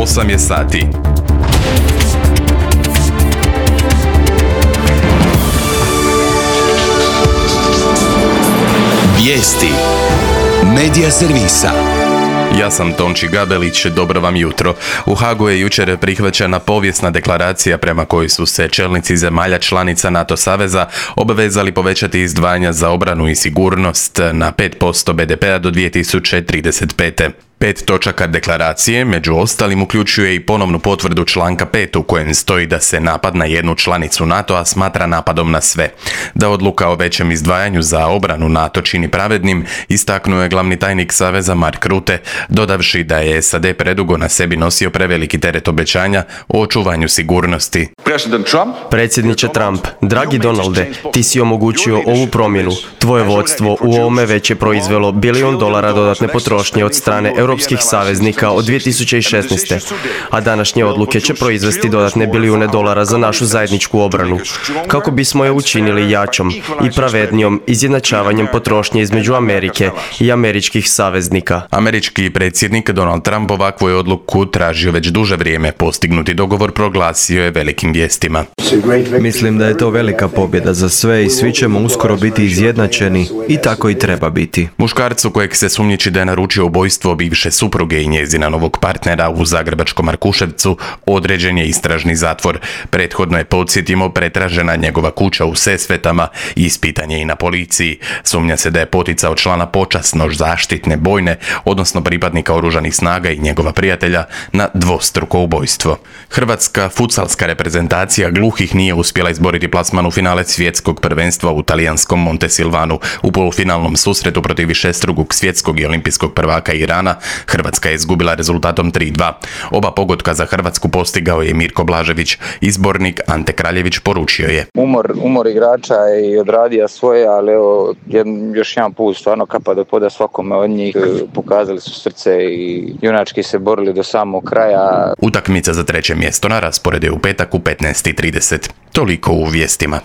8 je sati. Vijesti Medija servisa. Ja sam Tonči Gabelić, dobro vam jutro. U Hagu je jučer prihvaćena povijesna deklaracija prema kojoj su se čelnici zemalja članica NATO saveza obvezali povećati izdvajanja za obranu i sigurnost na 5% BDP-a do 2035. 5 točaka deklaracije, među ostalim, uključuje i ponovnu potvrdu članka 5 u kojem stoji da se napad na jednu članicu NATO-a smatra napadom na sve. Da odluka o većem izdvajanju za obranu NATO čini pravednim, istaknuo je glavni tajnik Saveza Mark Rutte, dodavši da je SAD predugo na sebi nosio preveliki teret obećanja o očuvanju sigurnosti. Predsjedniče Trump, dragi Donalde, ti si omogućio ovu promjenu. Tvoje vodstvo u ovome već je proizvelo $1 bilion dodatne potrošnje od strane europskih saveznika od 2016. A današnje odluke će proizvesti dodatne $1 bilijune za našu zajedničku obranu. Kako bismo je učinili jačom i pravednijom izjednačavanjem potrošnje između Amerike i američkih saveznika. Američki predsjednik Donald Trump ovakvu je odluku tražio već duže vrijeme. Postignuti dogovor proglasio je velikim vijestima. Mislim da je to velika pobjeda za sve i svi ćemo uskoro biti izjednačeni i tako i treba biti. Muškarcu kojeg se sumnjiči da je naručio ubojstvo bivše supruge i njezina novog partnera u zagrebačkom Markuševcu određen je istražni zatvor. Prethodno je, podsjetimo, pretražena njegova kuća u Sesvetama i ispitan je i na policiji. Sumnja se da je poticao člana počasno zaštitne bojne, odnosno pripadnika oružanih snaga i njegova prijatelja na dvostruko ubojstvo. Hrvatska futsalska reprezentacija gluhih nije uspjela izboriti plasman u finale svjetskog prvenstva u talijanskom Montesilvanu. U polufinalnom susretu protiv višestrukog svjetskog i olimpijskog prvaka Irana Hrvatska je izgubila rezultatom 3:2. Oba pogotka za Hrvatsku postigao je Mirko Blažević. Izbornik Ante Kraljević poručio je: Umor igrača i odradio svoje, ali evo, još jedan put stvarno kapa do poda svakome od njih. Pokazali su srce i junački se borili do samog kraja. Utakmica za treće mjesto na rasporedu je u petak u 15:30. Toliko u vijestima.